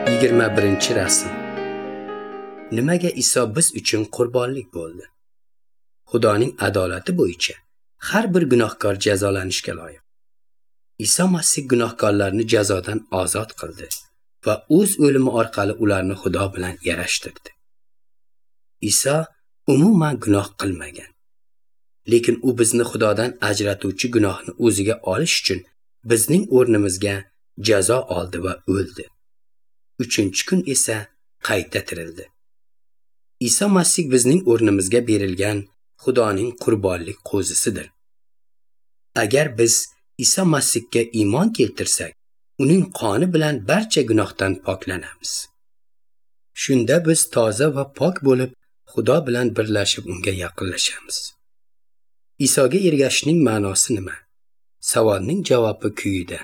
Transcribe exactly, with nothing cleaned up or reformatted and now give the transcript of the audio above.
Yigirma birinchi rasm. Nimaga Iso biz uchun qurbonlik bo'ldi? Xudoning adolati bo'yicha har bir gunohkor jazolanishga loyiq. Iso Masih gunohkorlarni jazodan ozod qildi va o'z o'limi orqali ularni Xudo bilan yarashtirdi. Iso umuman gunoh qilmagan. Lekin u bizni Xudodan ajratuvchi gunohni o'ziga olish uchun bizning o'rnimizga jazo oldi va o'ldi. Uchinchi kun esa qayta tirildi. Iso Masih bizning o'rnimizga berilgan Xudoning qurbonlik qo'zisidir. Agar biz Iso Masihga iymon keltirsak, uning qoni bilan barcha gunohdan poklanamiz. Shunda biz toza va pok bo'lib, Xudo bilan birlashib unga yaqinlashamiz. Isoga ergashishning ma'nosi nima? Savolning javobi quyida.